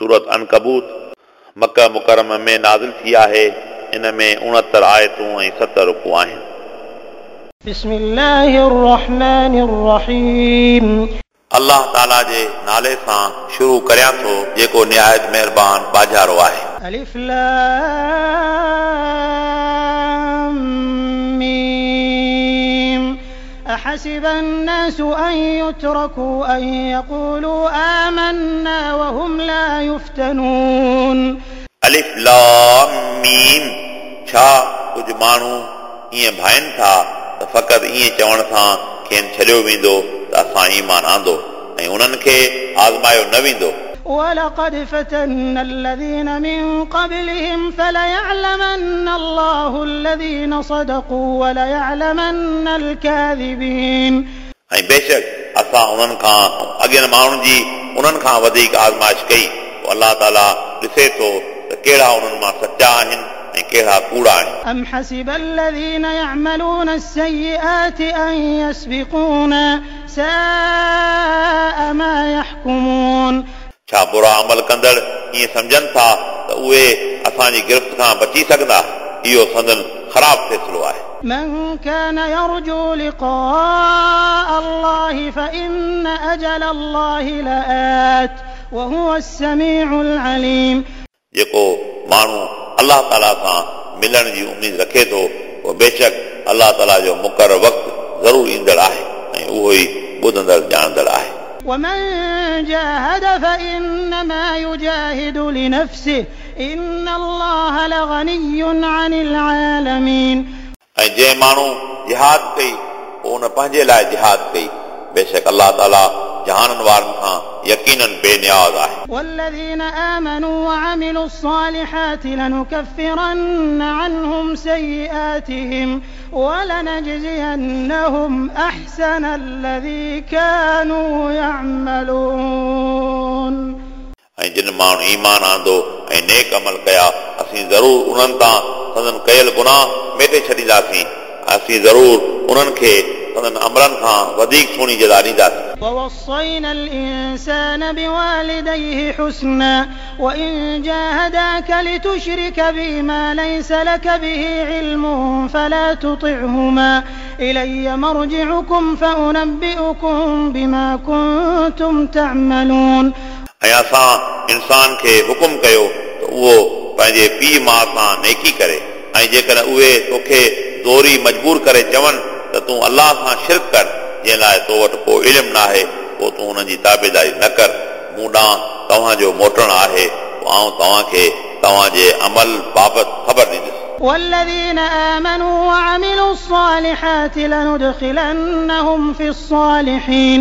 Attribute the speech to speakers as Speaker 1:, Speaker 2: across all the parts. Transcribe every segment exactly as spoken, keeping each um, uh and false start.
Speaker 1: सूरत अनकबूत मक्का मुकर्रम में नाज़िल थी आहे। इन में उणहतरि आयतूं ऐं सत रुकू आहिनि।
Speaker 2: बिस्मिल्लाहिर रहमानिर रहीम।
Speaker 1: अल्लाह ताला जे नाले सां शुरू करियां थो जेको निहायत महिरबान बाजारो आहे।
Speaker 2: अलिफ लाम मीम अहसिब अन्नास अन युत्रकू अन यक़ूलू आमन्ना वहुम ला युफ्तनून।
Speaker 1: अलिफ लाम मीम। छा कुझु माण्हू ईअं भाइनि था त फ़क़ति ईअं चवण सां खेनि छॾियो वेंदो त असां ईमान आंदो ऐं उन्हनि खे आज़मायो न वेंदो।
Speaker 2: ولقد فتنا الذين من قبلهم فليعلمن الله الذين صدقوا وليعلمن الكاذبين।
Speaker 1: ऐं बेशक असां उन्हनि खां अॻियनि माण्हुनि जी उन्हनि खां वधीक आज़माइश कई, पोइ अल्लाह ताला ॾिसे थो त कहिड़ा उन्हनि मां सचा आहिनि ऐं कहिड़ा कूड़ा आहिनि।
Speaker 2: أم حسب الذين يعملون السيئات أن يسبقونا ساء ما يحكمون।
Speaker 1: छा बुरा अमल कंदड़ ईअं सम्झनि था त उहे असांजी गिरफ़्त खां बची सघंदा? इहो संदन ख़राब फ़ैसिलो आहे।
Speaker 2: من كان يرجو لقاء الله فإن أجل الله لآت وهو السميع العليم।
Speaker 1: जेको माण्हू अल्लाह ताला सां मिलण जी उमेद रखे थो उहो बेशक अल्लाह ताला जो मुक़ररु वक़्तु ज़रूरु ईंदड़ आहे ऐं उहो ई ॿुधंदड़ ॼाणंदड़ आहे।
Speaker 2: ومن جاهد فإنما يجاهد لنفسه إن الله لغني عن العالمين।
Speaker 1: ऐं जंहिं माण्हू जिहाद कई पोइ उन पंहिंजे लाइ जिहाद कई, बेशक अल्लाह ताला जहाननि वारनि खां यकीनन बेनियाज़ आहे।
Speaker 2: والذين آمنوا وعملوا الصالحات لنكفرن عنهم سيئاتهم ولنجزينهم أحسن الذي كانوا يعملون।
Speaker 1: ऐं जिन माण्हू ईमान आंदो ऐं नेक अमल कया, असीं ज़रूरु उन्हनि तां संदन कयल गुनाह मेटे छॾींदासीं, असीं ज़रूरु उन्हनि खे संदन अमलनि खां वधीक सुहिणी जज़ा ॾींदासीं।
Speaker 2: ووصينا الإنسان بوالديه حسنا وإن جاهداك لتشرك بي ما ليس لك به علم فلا تطعهما إلي مرجعكم فأنبئكم بما كنتم تعملون।
Speaker 1: ऐं असां इंसान खे हुकुम कयो त उहो पंहिंजे पीउ माउ सां नेकी करे, ऐं जेकॾहिं उहे तोखे ज़ोरी मजबूर करे चवनि त तूं अल्लाह सां शिरक कर, जंहिं लाइ तो वटि को इल्मु न आहे, पोइ तूं उन्हनि जी ताबेदारी न कर। मूं ॾांहुं तव्हांजो मोटणु आहे, पोइ आउं तव्हांखे तव्हांजे अमल बाबति ख़बर ॾींदुसि।
Speaker 2: والذين آمنوا وعملوا الصالحات لندخلنهم في الصالحين।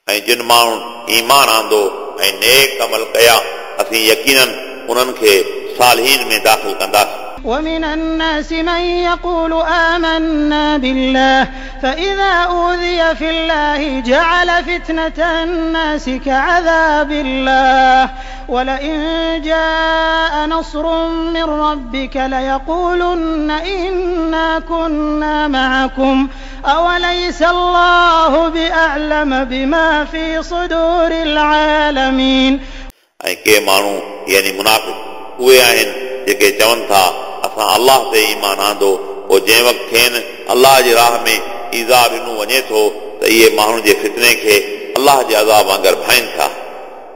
Speaker 1: ऐं जिन माण्हुनि ईमान आंदो ऐं नेक अमल कया, असीं यकीनन उन्हनि खे सालहीन में दाख़िल कंदासीं।
Speaker 2: ومن الناس من يقول آمنا بالله فإذا أوذي في الله جعل فتنة الناس كعذاب الله ولئن جاء نصر من ربك ليقولن إنا كنا معكم أوليس الله بأعلم بما في صدور العالمين।
Speaker 1: ऐं के माण्हू यानी मुनाफ़िक़ उहे आहिनि जेके चवनि था असां अल्लाह ते ईमान आंदो, पोइ जंहिं वक़्तु खेनि अल्लाह जे राह में ईज़ा ॾिनो वञे थो त इहे माण्हुनि जे फितने खे अल्लाह जे अज़ाब वांगुरु भाइनि था।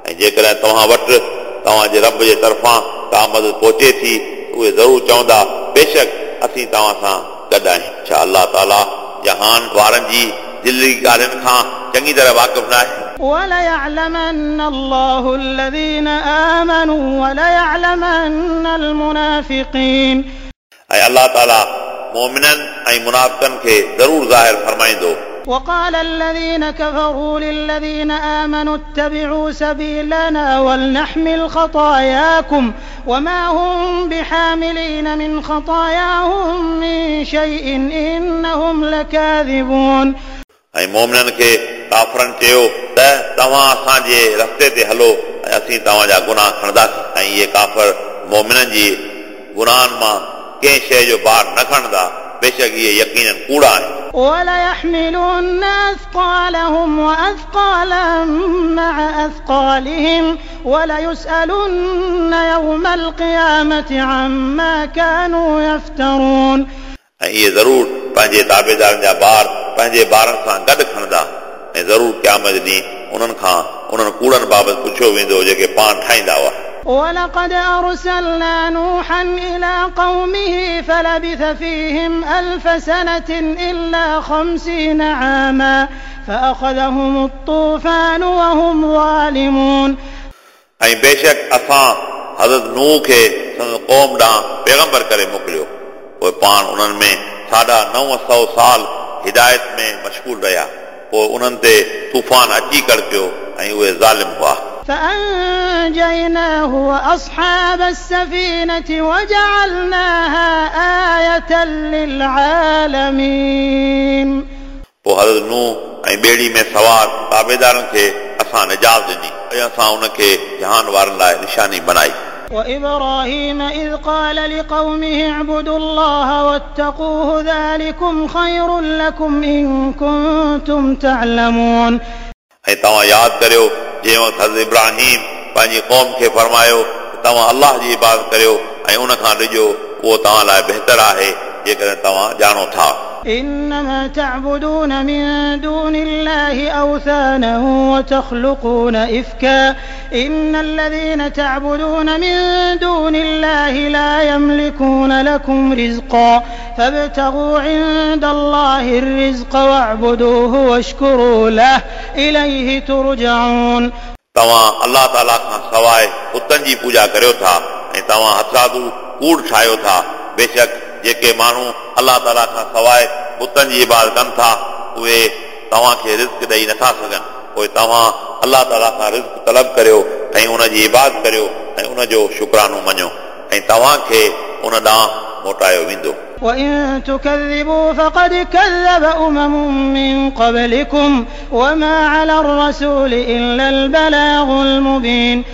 Speaker 1: ऐं जेकॾहिं तव्हां वटि तव्हांजे रब जे तरफ़ां का मदद पहुचे थी उहे ज़रूरु चवंदा बेशक असीं तव्हां सां गॾु आहियूं। छा अल्लाह ताला जहान वारनि जी दिलि ॻाल्हियुनि खां चङी तरह वाक़िफ़ न आहे?
Speaker 2: وليعلمن الله الذين آمنوا وليعلمن المنافقين।
Speaker 1: ऐं अल्लाह ताला मोमिननि ऐं मुनाफ़िक़नि खे ज़रूरु ज़ाहिर फरमाईंदो।
Speaker 2: وقال الذين كفروا للذين آمنوا اتبعوا سبيلنا ولنحمل خطاياكم وما هم بحاملين من خطاياهم من شيء إنهم لكاذبون।
Speaker 1: ऐं मोमिननि खे काफ़रनि चयो त तव्हां असांजे रस्ते ते हलो ऐं असीं तव्हांजा गुनाह खणंदासीं। ऐं इहे काफ़र मोमिननि जी गुनाहनि मां कंहिं शइ जो भार न खणंदा, बेशक इहे यकीनन कूड़ा आहिनि।
Speaker 2: وليحملن أثقالهم وأثقالا مع أثقالهم وليسألن يوم القيامة عما كانوا يفترون.
Speaker 1: ऐं इहे ज़रूर पंहिंजे ताबेदारनि जा ॿार पंहिंजे ॿारनि सां गॾु खणंदा ऐं ज़रूर क़यामत ॾींहुं उन्हनि खां उन्हनि कूड़नि बाबति पुछियो वेंदो जेके पाण ठाहींदा हुआ.
Speaker 2: ولقد أرسلنا نوحا إلى قومه فلبث فيهم ألف سنة إلا خمسين عاما فأخذهم الطوفان وهم ظالمون.
Speaker 1: ऐं बेशक असां हज़रत नूह खे संदसि क़ौम ॾांहुं पैगंबर करे मोकिलियो, पोइ पाण उन्हनि में साढा नव सौ साल हिदायत में मशगूल रहिया, पोइ उन्हनि ते तूफ़ान अची कड़कियो ऐं उहे ज़ालिम हुआ.
Speaker 2: فأنجيناه وأصحاب السفينة وجعلناها آية للعالمين.
Speaker 1: पोइ हज़रत नूह ऐं ॿेड़ी में सवार ताबेदारनि खे असां निजात ॾिनी ऐं असां उनखे जहान वारनि लाइ निशानी बनाई.
Speaker 2: وإبراهيم إذ قال لقومه اعبدوا الله واتقوه ذلكم خير لكم إن كنتم تعلمون.
Speaker 1: ऐं तव्हां यादि करियो जंहिं वक़्तु हज़रत इब्राहिम पंहिंजी क़ौम खे फरमायो त तव्हां अल्लाह जी इबादत करियो ऐं उन खां ॾिजो, उहो तव्हां लाइ बहितर आहे जेकॾहिं तव्हां ॼाणो था.
Speaker 2: إنما تعبدون من دون الله أوثانا وتخلقون إفكا إن الذين تعبدون من دون الله لا يملكون لكم رزقا فابتغوا عند الله الرزق واعبدوه واشكروا له إليه ترجعون.
Speaker 1: तव्हां अल्लाह ताला खां सवाइ बुतनि जी पूजा करियो था ऐं तव्हां हथरादू कूड़ ठाहियो था. बेशक जेके माण्हू अल्लाह ताला खां सवाइ बुतनि जी इबादत कनि था उहे तव्हांखे रिज़्क ॾेई नथा सघनि, पोइ तव्हां अल्लाह ताला खां रिज़्क तलब करियो ऐं उन जी इबादत करियो ऐं उन जो शुक्रानो मञो ऐं तव्हांखे उन ॾांहुं मोटायो वेंदो.
Speaker 2: وإن تكذبوا فقد كذب أمم من قبلكم وما على الرسول إلا البلاغ المبين.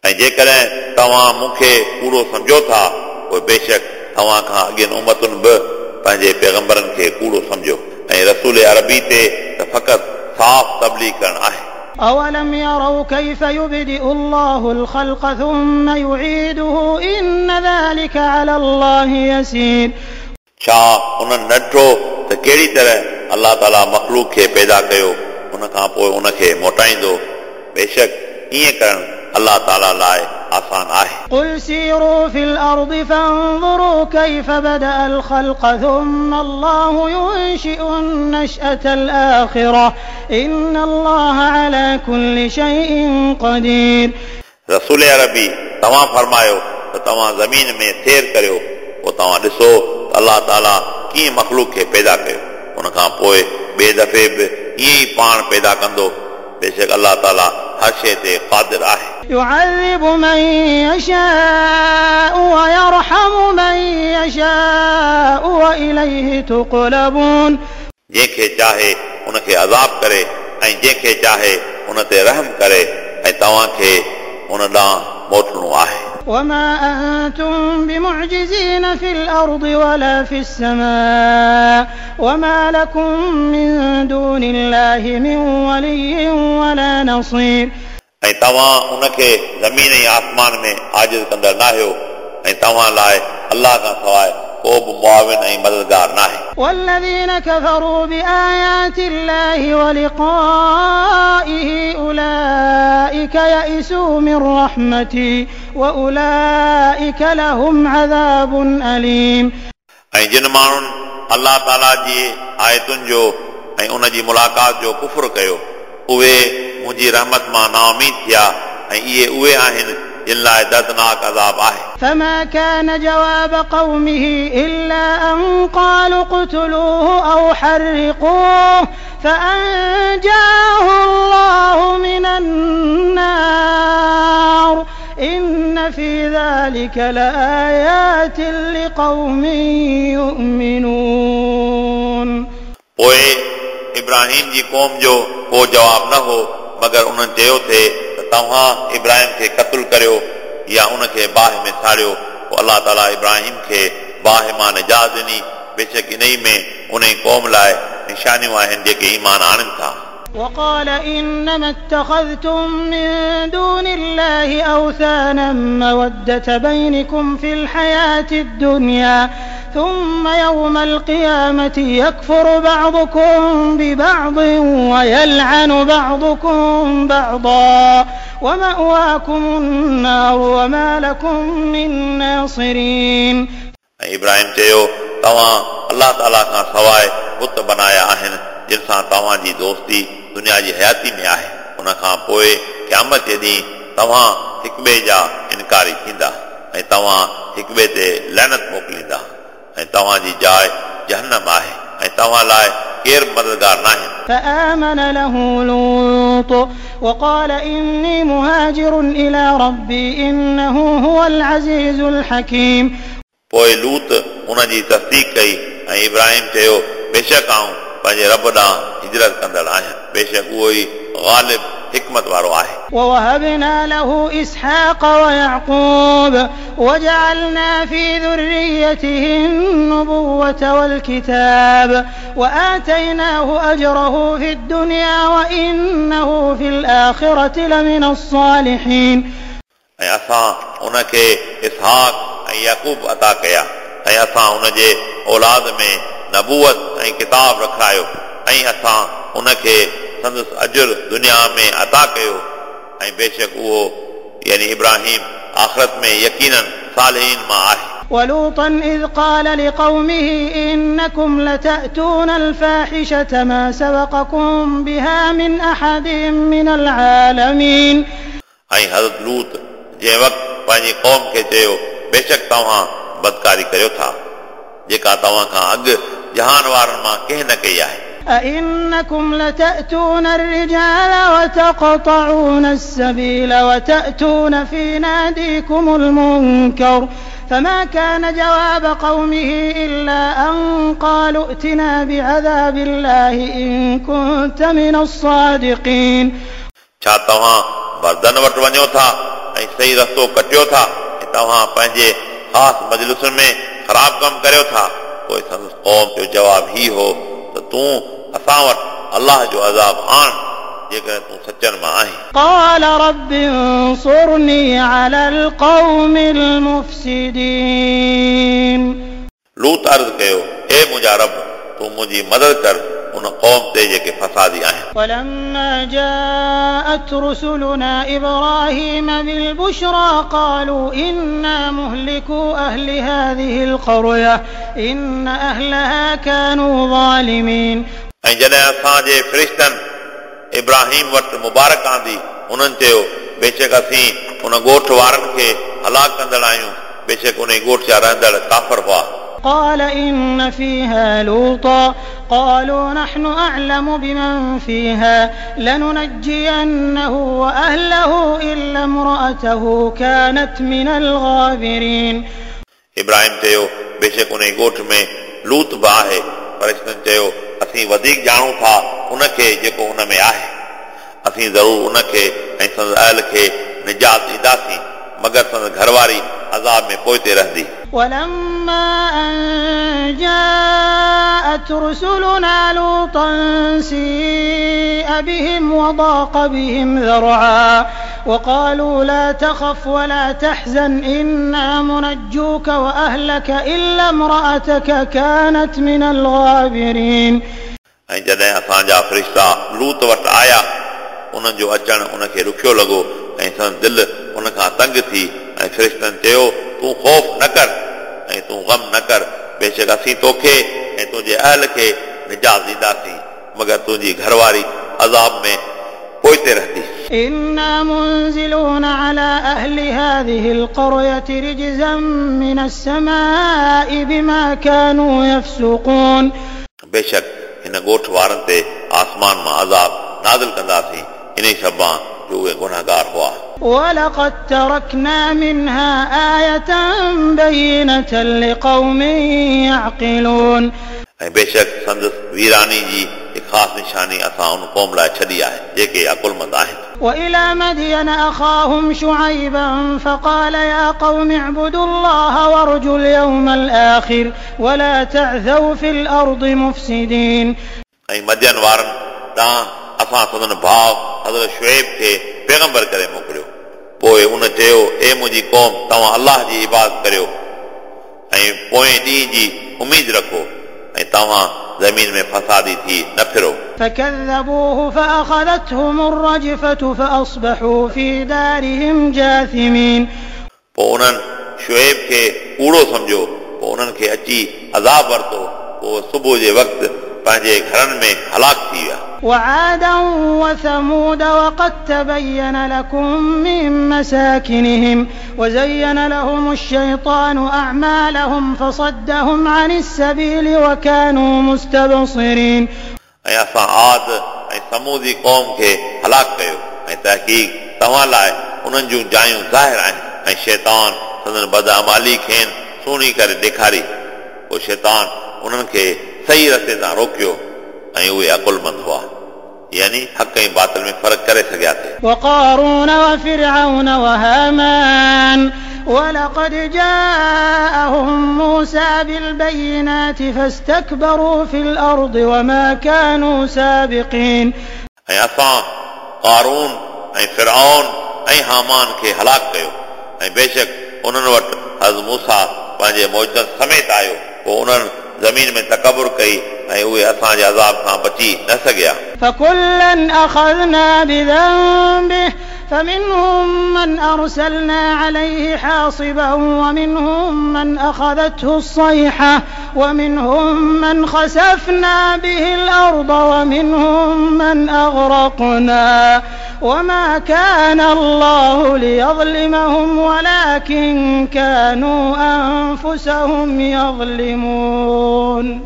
Speaker 1: ऐं जेकॾहिं तव्हां मूंखे कूड़ो सम्झो था पोइ बेशक तव्हां खां अॻियनि उमतुनि बि पंहिंजे पैगंबरनि खे कूड़ो सम्झो ऐं रसूल अरबी ते त फ़क़ति साफ़ तबलीग करणु आहे.
Speaker 2: أولم يروا كيف يبدئ الله الخلق ثم يعيده إن ذلك على الله يسير.
Speaker 1: छा उन्हनि न ॾिठो त कहिड़ी तरह अल्लाह ताला मख़लूक खे पैदा कयो उन खां पोइ उनखे मोटाईंदो, बेशक ईअं करणु अल्लाह ताला लाइ आसान आहे.
Speaker 2: قل سيروا في الأرض فانظروا كيف بدأ الخلق ثم الله ينشئ النشأة الآخرة إن الله على كل شيء قدير.
Speaker 1: रसूल अरबी तव्हां फरमायो त तव्हां ज़मीन में सैर करियो पोइ तव्हां ॾिसो त अल्लाह ताला कीअं मख़लूक खे पैदा कयो, उन खां पोइ ॿिए दफ़े बि ईअं ई पाण पैदा कंदो. बेशक अल्लाह ताला हर शइ ते क़ादिर आहे.
Speaker 2: يعذب من يشاء ويرحم من يشاء وإليه تقلبون.
Speaker 1: जंहिंखे चाहे उनखे अज़ाब करे ऐं जंहिंखे चाहे उन ते रहम करे ऐं तव्हांखे उन ॾांहुं मोटणो आहे.
Speaker 2: وما أنتم بمعجزين في الأرض ولا في السماء وما لكم من دون الله من ولي ولا نصير.
Speaker 1: ऐं तव्हां उनखे ज़मीन ऐं आसमान में आजिज़ कंदड़ न आहियो ऐं तव्हां लाइ अल्लाह खां सवाइ को बि मुआविन ऐं मददगार न आहे.
Speaker 2: والذين كفروا بآيات الله ولقائه أولئك يئسوا من رحمتي وأولئك لهم عذاب أليم.
Speaker 1: ऐं जिन माण्हुनि अल्लाह ताला जी आयतुनि जो ऐं उन जी मुलाक़ात जो कुफुर कयो उहे मुंहिंजी रहमत मां नाउमीद थिया ऐं इहे उहे आहिनि जिन लाइ दर्दनाक अज़ाब आहे.
Speaker 2: فما كان جواب قومه إلا أن قالوا اقتلوه أو حرقوه فأنجاه الله من النار إن في ذلك لآيات لقوم يؤمنون.
Speaker 1: पोइ इब्राहिम जी क़ौम जो को जवाब न हो मगर उन्हनि चयो थिए त तव्हां इब्राहिम खे क़तलु करियो या उनखे बाहि में साड़ियो. पोइ अल्लाह ताला इब्राहिम खे बाहि मां निजात ॾिनी. बेशक इन ई में उन क़ौम लाइ निशानियूं आहिनि जेके ईमान आणनि था।
Speaker 2: وقال إنما اتخذتم من دون الله أوثانا مودة بينكم في الحياة الدنيا ثم يوم القيامة يكفر بعضكم ببعض ويلعن بعضكم بعضا ومأواكم النار وما لكم من ناصرين।
Speaker 1: ऐं इब्राहिम चयो तव्हां अलाह ताला खां सवाइ बुत बनाया आहिनि जिन सां तव्हांजी दोस्ती दुनिया जी हयाती में आहे, उन खां पोइ क़यामत जे ॾींहुं तव्हां हिक ॿिए जा इनकारी थींदा ऐं तव्हां हिक ॿिए ते लानत मोकिलींदा ऐं तव्हांजी जाइ जहन्नम आहे ऐं तव्हां लाइ केरु मददगार नाहिनि।
Speaker 2: فآمن له لوط وقال إني مهاجر إلى ربي إنه هو العزيز الحكيم।
Speaker 1: पोइ लूत उनजी तस्दीक कई ऐं इब्राहिम चयो बेशक आउं पंहिंजे रब ॾांहुं हिजरत कंदड़ आहियां, बेशक उहो ई ग़ालिब हिकमत वारो आहे।
Speaker 2: ووهبنا له إسحاق ويعقوب وجعلنا في ذريته النبوة والكتاب وآتيناه أجره في الدنيا وإنه في الآخرة لمن الصالحين।
Speaker 1: ऐं असां उनखे इसहाक ऐं याकूब अता कया ऐं असां उनजे औलाद में नबूवत ऐं किताब रखायो ऐं असां उनखे संदसि अजुर दुनिया में अता कयो ऐं बेशक उहो यानी इब्राहिम आख़िरत में यकीनन सालिहीन मां आहे।
Speaker 2: ولوطا إذ قال لقومه إنكم لتأتون الفاحشة ما سبقكم بها من أحد من العالمين।
Speaker 1: ऐं हज़रत लूत जंहिं वक़्तु पंहिंजी क़ौम खे चयो बेशक तव्हां बदकारी करियो था जेका तव्हां खां अॻु जहान वारनि मां कंहिं न कई आहे।
Speaker 2: أئنكم لتأتون الرجال وتقطعون السبيل وتأتون في ناديكم المنكر فما كان جواب قومه إلا أن قالوا ائتنا بعذاب الله إن كنت من الصادقين।
Speaker 1: छा तव्हां मर्दनि वटि वञो था ऐं सही रस्तो कटियो था ऐं तव्हां पंहिंजे ख़ासि मजलिसुनि में ख़राब कमु करियो था? पोइ संदसि क़ौम जो जवाबु ही हो त तूं असां वटि अलाह जो अज़ाब आण जेकॾहिं तूं सचनि मां आहीं।
Speaker 2: قال رب انصرني على القوم المفسدين।
Speaker 1: लूत अर्ज़ कयो ए मुंहिंजा रब तूं मुंहिंजी मदद कर उन क़ौम ते जेके फसादी आहिनि।
Speaker 2: ولما جاءت رسلنا إبراهيم بالبشرى قالوا إنا مهلكو أهل هذه القرية إن أهلها كانوا ظالمين।
Speaker 1: ऐं जॾहिं असांजे फ़रिश्तनि इब्राहिम वटि मुबारक आंदी उन्हनि चयो बेशक असीं उन ॻोठ वारनि खे हलाक कंदड़ आहियूं, बेशक उन ॻोठ जा रहंदड़ काफ़र हुआ।
Speaker 2: قال إن فيها لوطا قالوا نحن أعلم بمن فيها لننجينه وأهله إلا امرأته كانت من الغابرين।
Speaker 1: इब्राहिम चयो बेशक उन ॻोठ में लूत बि आहे। फ़रिश्तनि चयो असीं वधीक ॼाणूं था उनखे जेको उन में आहे, असीं ज़रूरु उनखे ऐं संदसि अहल खे निजात ॾींदासीं मगर संदसि घरवारी अज़ाब में पोइते रहंदी।
Speaker 2: ولما أن جاءت رسلنا لوطا سيء بهم وضاق بهم ذرعا وقالوا لا تخف ولا تحزن إنا منجوك وأهلك إلا امرأتك كانت من الغابرين।
Speaker 1: ऐं जॾहिं असांजा फ़रिश्ता लूत वटि आया उन्हनि जो अचणु उनखे ॾुखियो लॻो ऐं संदसि दिलि उन खां तंग थी ऐं फ़रिश्तनि चयो तूं ख़ौफ़ न कर ऐं तूं ग़म न कर, बेशक असीं तोखे ऐं तुंहिंजे अहल खे निजात ॾींदासीं मगर तुंहिंजी घरवारी अज़ाब में पोइते रहंदी।
Speaker 2: إنا منزلون على أهل هذه القرية رجزا من السماء بما كانوا يفسقون।
Speaker 1: बेशक हिन ॻोठ वारनि ते आसमान मां अज़ाब नाज़िल कंदासीं इन सबबा जो उहे गुनाहगार हुआ।
Speaker 2: ولقد تركنا منها آية بينة لقوم يعقلون।
Speaker 1: ऐं बेशक संदसि वीरानी जी हिकु ख़ासि निशानी असां उन क़ौम लाइ छॾी आहे जेके अकुलमंद आहिनि।
Speaker 2: وإلى مدين أخاهم شعيبا فقال يا قوم اعبدوا الله وارجوا اليوم الآخر ولا تعثوا في الأرض مفسدين.
Speaker 1: ऐं मदियन वारनि ॾांहुं असां संदन भाउ हज़रत शुएब खे पैगंबर करे मोकिलियो। पोइ उन चयो, ए मुंहिंजी क़ौम, तव्हां अलाह जी इबादत करियो ऐं पोएं ॾींहं जी उमेद रखो ऐं तव्हां ज़मीन में फसादी थी न फिरो।
Speaker 2: فكذبوه فأخذتهم الرجفة فأصبحوا في دارهم جاثمين।
Speaker 1: पोइ उन्हनि शुएब खे कूड़ो सम्झो, पोइ उन्हनि खे अची अज़ाब वरितो, पोइ सुबुह जे वक़्तु पंहिंजे घरनि में हलाक थी विया।
Speaker 2: وعادا وثمود وقد تبين لكم من مساكنهم وزين لهم الشيطان أعمالهم فصدهم عن السبيل وكانوا مستبصرين।
Speaker 1: ऐं असां आद ऐं समूदी क़ौम खे हलाक कयो ऐं तहक़ीक़ तव्हां लाइ उन्हनि जूं जायूं ज़ाहिर आहिनि ऐं शैतान संदन बदअमाली खेनि सुहिणी करे ॾेखारी, पोइ शैतान उन्हनि खे सही रस्ते तां रोकियो ऐं उहे अक़ुलमंद हुआ, यानी हक़ ऐं बातिल में फ़र्क़ु करे सघिया थे।
Speaker 2: وقارون وفرعون وهامان ولقد جاءهم موسى بالبينات فاستكبروا في الأرض وما كانوا سابقين।
Speaker 1: ऐं असां क़ारून ऐं फिरऔन ऐं हामान खे हलाक कयो ऐं बेशक उन्हनि वटि हज़रत मूसा पंहिंजे मौजूदनि समेत आयो, पोइ उन्हनि ज़मीन में तकबुर कई ऐं उहे असांजे अज़ाब खां बची न सघिया।
Speaker 2: فكلا أخذنا بذنبه فمنهم من أرسلنا عليه حاصبا ومنهم من أخذته الصيحة ومنهم من خسفنا به الأرض ومنهم من أغرقنا وما كان الله ليظلمهم ولكن كانوا أنفسهم يظلمون।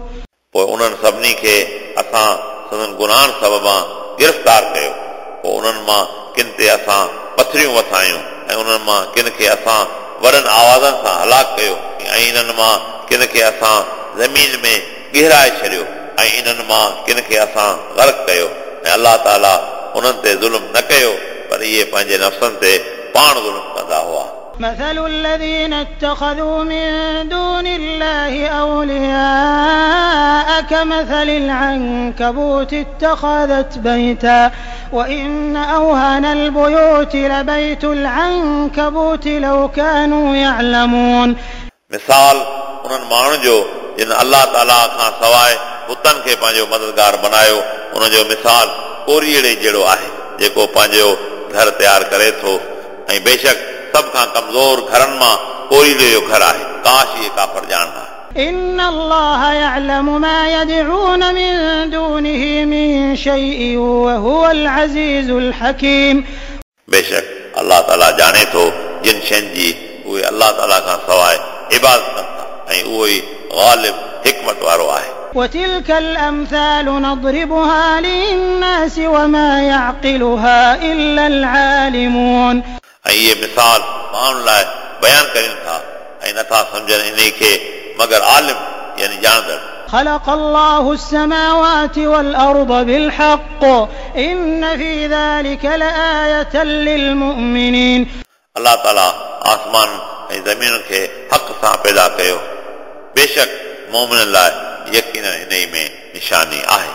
Speaker 1: पोइ उन्हनि सभिनी खे असां संदन गुनाहनि सबबां गिरफ़्तार कयो, पोइ उन्हनि मां किन ते असां पथरियूं वसायूं ऐं उन्हनि मां किन खे असां वॾनि आवाज़नि सां हलाक कयो ऐं इन्हनि मां किन खे असां ज़मीन में गिराए छॾियो ऐं इन्हनि मां किन खे असां गर्क कयो ऐं अलाह ताला उन्हनि ते ज़ुल्म न कयो, पर इहे पंहिंजे नफ़्सनि ते पाण ज़ुल्म कंदा हुआ।
Speaker 2: مثل الذين اتخذوا من دون الله أولياء كمثل العنكبوت اتخذت بيتا وإن أوهن البيوت لبيت العنكبوت لو كانوا يعلمون।
Speaker 1: मिसाल उन्हनि माण्हुनि जो जिन अलाह ताला खां सवाइ बुतनि खे पंहिंजो मददगार बनायो, उनजो मिसाल कोरीअड़े जहिड़ो आहे जेको पंहिंजो घर तयारु करे थो ऐं बेशक सभ खां कमज़ोर घरनि मां कोरीअड़े जो घर आहे। काश इहे काफ़र ॼाणंदा।
Speaker 2: إن الله يعلم ما يدعون من دونه من شيء وهو العزيز الحكيم।
Speaker 1: बेशक अलाह ताला ॼाणे थो जिन शयुनि जी उहे अलाह ताला खां सवाइ इबादत कनि था ऐं उहो ई ग़ालिब हिकमत वारो आहे।
Speaker 2: وتلك الأمثال نضربها للناس وما يعقلها إلا العالمون।
Speaker 1: ऐं इहे मिसाल माण्हुनि लाइ बयानु करियूं था ऐं नथा सम्झनि इन खे मगर आलिम यानी ॼाणंदड़।
Speaker 2: خلق الله السماوات والأرض بالحق إن في ذلك لآية للمؤمنين।
Speaker 1: अलाह ताला आसमान ऐं ज़मीन खे हक़ सां पैदा कयो, बेशक मोमिन लाइ यकीन इन में निशानी आहे।